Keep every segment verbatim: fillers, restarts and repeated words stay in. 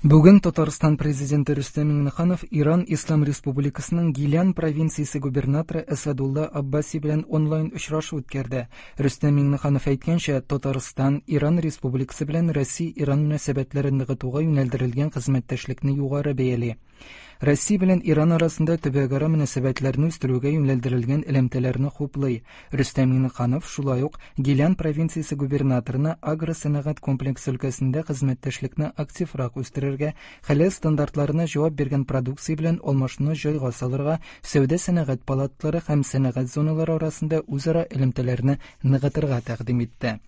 Бүген Татарстан президенты Рөстәм Миңнеханов Иран Ислам Республикасының Гилян провинциясе губернаторы Әсәдулла Аббаси белән онлайн очрашу үткәрде. Рөстәм Миңнеханов әйткәнчә, Татарстан Иран Республикасы белән Россия-Иран мөнәсәбәтләрен ныгытуга юнәлдерелгән хезмәттәшлекне югары бәяли. Россия белән Иран арасында төбәкара мөнәсәбәтләрне үстерүгә юнәлдерелгән элемтәләрне хуплый. Рөстәм Миңнеханов шулай ук Гилян провинциясе губернаторына агросәнәгать комплексы өлкәсендә хезмәттәшлекне активрак үстерергә, хәләл стандартларына җавап биргән продукция белән алмашуны җайга салырга, сәүдә-сәнәгать палаталары һәм сәнәгать зоналары арасында үзара элемтәләрне ныгытырга тәкъдим итте.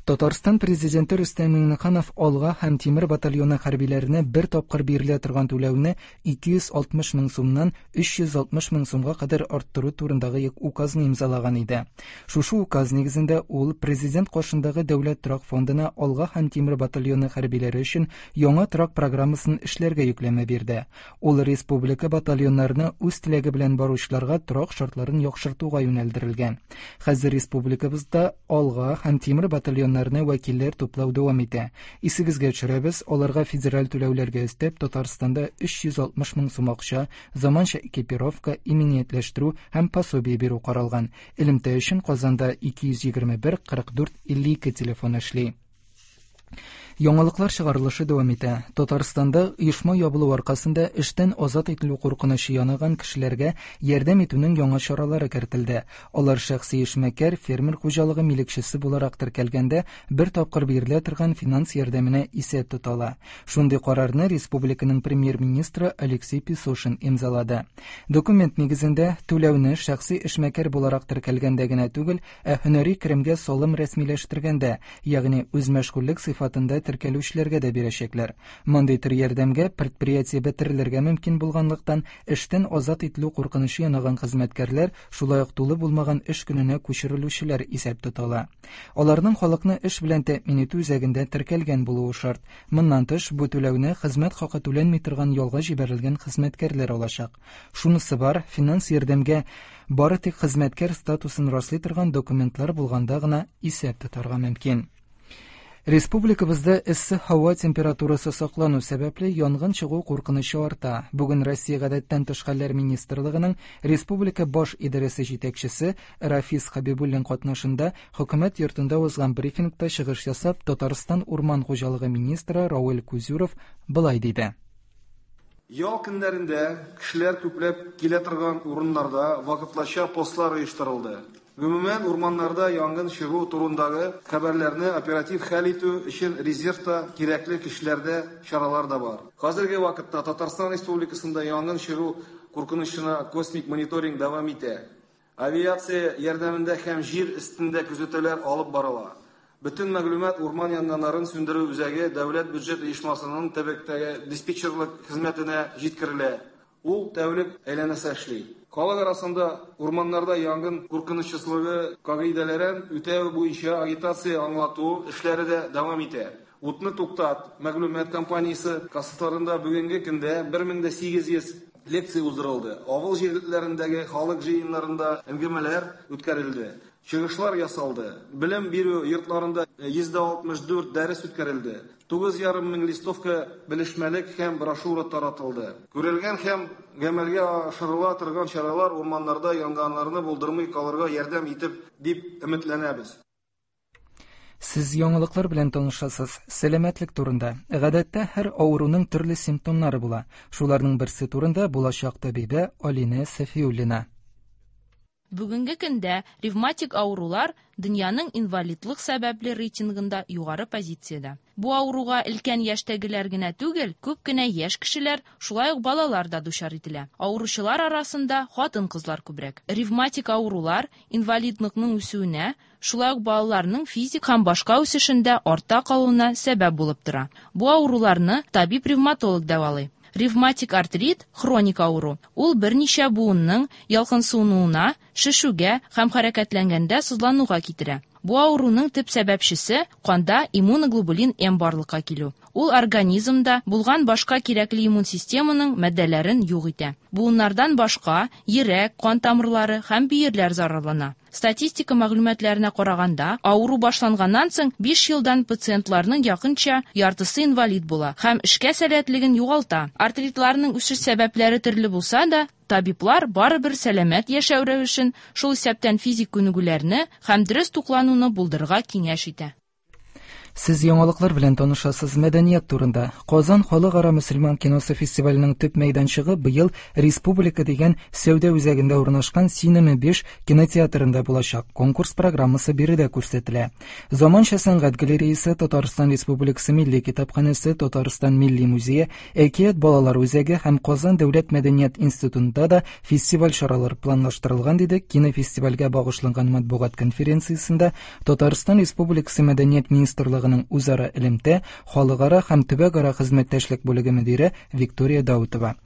Татарстан президенты Рөстәм Миңнеханов Алга һәм Тимер батальоны хәрбиләренә бер тапкыр бирелә торган түләүне ике йөз алтмыш мең сумнан өч йөз алтмыш мең сумга кадәр арттыру турындагы указны имзалаган иде. Шушы указ нигезендә ул президент каршындагы дәүләт торак фондына Алга һәм Тимер батальоны хәрбиләре өчен яңа торак программасын эшләргә йөкләмә бирде. Ул республика батальоннарына үз теләге белән баручыларга торак шартларын яхшыртуга юнәлдерелгән. Хәзер республикабызда Алга һәм Тимер батальоннарына вәкилләр туплау дәвам итә. Исегезгә төшерәбез, аларга федераль түләүләргә өстәп Татарстанда өч йөз алтмыш мең сум акча, заманча экипировка, иминиятләштерү һәм пособие бирү каралган. Элемтә өчен Казанда ике йөз егерме бер кырык дүрт илле ике телефон эшли. Яңалыклар чыгарылышы дәвам итә. Татарстанда оешма ябылу аркасында эштән азат ителү куркынычы янаган кешеләргә ярдәм итүнең яңа чаралары кертелде. Алар шәхси эшмәкәр, фермер хуҗалыгы милекчесе буларак теркәлгәндә бер тапкыр бирелә торган финанс ярдәменә исәп тотала. Шундый карарны республиканың премьер-министры Алексей Песошин имзалады. Документ нигезендә түләүне шәхси эшмәкәр буларак теркәлгәндә генә түгел, ә һөнәри керемгә салым рәсмиләштергәндә, ягъни үзмәшгульлек сыйфатында теркәлүчеләргә дә бирәчәкләр. Мондый төр ярдәмгә предприятие бетерелергә мөмкин булганлыктан, эштән азат ителү куркынычы янаган хезмәткәрләр, шулай ук тулы булмаган эш көненә күчерелүчеләр исәп тотыла. Аларның халыкны эш белән тәэмин итү үзәгендә теркәлгән булуы шарт. Моннан тыш, бу түләүне хезмәт хакы түләнми торган ялга җибәрелгән хезмәткәрләр алачак. Шунысы бар, финанс ярдәмгә бары тик хезмәткәр статусын раслый торган документлар булганда гына исәп тотарга мөмкин. Республикабызда эссе һава температурасы саклану сәбәпле янгын чыгу куркынычы арта. Бүген Россия гадәттән тыш хәлләр министрлыгының Республика баш идарәсе җитәкчесе Рафис Хабибуллин катнашында хөкүмәт йортында узган брифингта чыгыш ясап, Татарстан урман хуҗалыгы министры Равил Кузюров былай диде. Ял көннәрендә кешеләр күпләп килә торган урыннарда вакытлыча постлар оештырылды. Гомумән, урманнарда янгын чыгу турындагы хәбәрләрне оператив хәл итү өчен резервта кирәкле кешеләрдә чаралар да бар. Хәзерге вакытта Татарстан Республикасында янгын чыгу куркынычына космик мониторинг дәвам итә. Авиация ярдәмендә һәм җир өстендә күзәтүләр алып барыла. Бөтен мәгълүмат урман янгыннарын сүндерү үзәге дәүләт бюджет оешмасының төбәктәге диспетчерлык хезмәтенә җиткерелә. Ул тәүлек әйләнәсе эшли. Халык арасында урманнарда янгын куркынычсызлыгы кагыйдәләрен үтәү буенча агитация аңлату эшләре дә дәвам итә. Утны туктат мәгълүмат компаниясе кассаларында бүгенге көндә бер мең дә сигез йөз лекция уздырылды. Авыл җирлекләрендәге халык җыеннарында әңгәмәләр үткәрелде. Чыгышлар ясалды. Белем бирү йортларында йөз дә алтмыш дүрт дәрес үткәрелде. Тугыз ярым мең листовка белешмәлек һәм брошюра таратылды. Күрелгән һәм гамәлгә ашырыла торган чаралар урманнарда янгыннарны булдырмый калырга ярдәм итеп дип өметләнәбез. Сез яңалыклар белән танышасыз. Сәламәтлек турында. Гадәттә һәр авыруның төрле симптомнары була. Шуларның берсе турында булачак табибә Алинә Сафиуллина. Бүгенге көндә ревматик авырулар дөньяның инвалидлык сәбәпле рейтингында югары позициядә. Бу авыруга өлкән яшьтәгеләр генә түгел, күп кенә яшь кешеләр, шулай ук балалар да дучар ителә. Авыручылар арасында хатын-кызлар күбрәк. Ревматик авырулар инвалидлыкның үсүенә, шулай ук балаларның физик һәм башка үсешендә артта калуына сәбәп булып тора. Бу авыруларны табиб-ревматолог дәвалый. Ревматик артрит хроник авыру. Ул берничә буынның ялкынсынуына, шешүгә һәм хәрәкәтләнгәндә сызлануга китерә. Бу авыруның төп сәбәпчесе канда иммуноглобулин М барлыкка килү. Ул организмда булган башка кирәкле иммун системаның матдәләрен юк итә. Буыннардан башка йөрәк, кан тамырлары һәм бөерләр зарарлана. Статистика мәгълүматларына караганда, авыру башланганнан соң биш елдан пациентларның якынча яртысы инвалид була һәм эшкә сәләтлеген югалта. Артритларның үсеш сәбәпләре төрле булса да, табиблар барыбер сәламәт яшәү рәвешен, шул исәптән физик күнегүләрне һәм дөрес туклануны булдырырга киңәш итә. Сез яңалыклар белән танышасыз. Мәдәният турында. Казан халыкара мөселман киносы фестиваленең төп мәйданчыгы быел Республика дигән сәүдә үзәгендә урнашкан Синема биш кинотеатрында булачак. Конкурс программасы биредә күрсәтелә. Заманча сәнгать галереясы, Татарстан Республикасы Милли китапханәсе, Татарстан Милли музее, Әкият балалар үзәге һәм Казан дәүләт мәдәният институтында да фестиваль чаралары планлаштырылган, диде кинофестивальгә багышланган матбугат конференциясендә Татарстан Республикасы Мәдәният министрлыгы үзара элемтә, халыкара һәм төбәкара хезмәттәшлек бүлеге мөдире Виктория Даутова.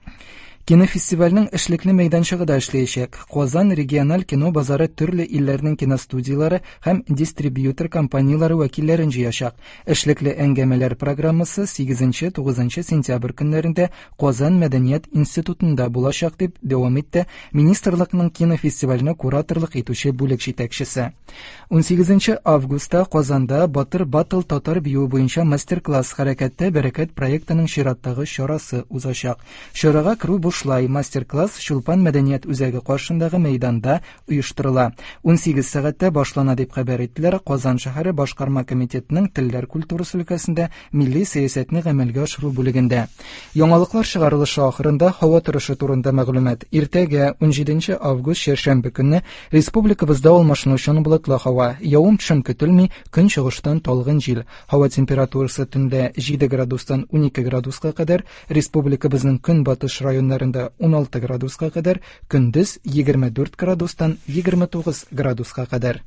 Кинофестивальнең эшлекле мәйданчыгы да эшләячәк. Казан региональ кино базары төрле илләрнең киностудияләре һәм дистрибьютор компанияләре вәкилләрен җыячак. Эшлекле әңгәмәләр программасы сигезенче-тугызынчы сентябрь көннәрендә Казан мәдәният институтында булачак, дип дәвам итте министрлыкның кинофестивальне кураторлык итүче бүлек җитәкчесе. Унсигезенче августта Казанда Батыр Батл татар биюе буенча мастер-класс хәрәкәттә бәрәкәт проектының чираттагы чарасы узачак. Чарага керү бушлай. Мастер-класс Чулпан мәдәният үзәге каршындагы мәйданда оештырыла. Унсигез сәгатьтә башлана, дип хәбәр иттеләр Казан шәһәре башкарма комитетының телләр культурасы өлкәсендә милли сәясәтне гамәлгә ашыру бүлегендә. Яңалыклар чыгарылышы ахырында һава торышы турында мәгълүмат. Иртәгә унҗиденче август чәршәмбе көнне республикабызда алмашынучан болытлы һава. Явым-төшем көтелми, көнчыгыштан талгын җил. Һава температурасы төндә җиде градустан унике градуска кадәр, республикабызның көнбатыш районнарында уналты градуска кадәр, көндез егерме дүрт градустан егерме тугыз градуска кадәр.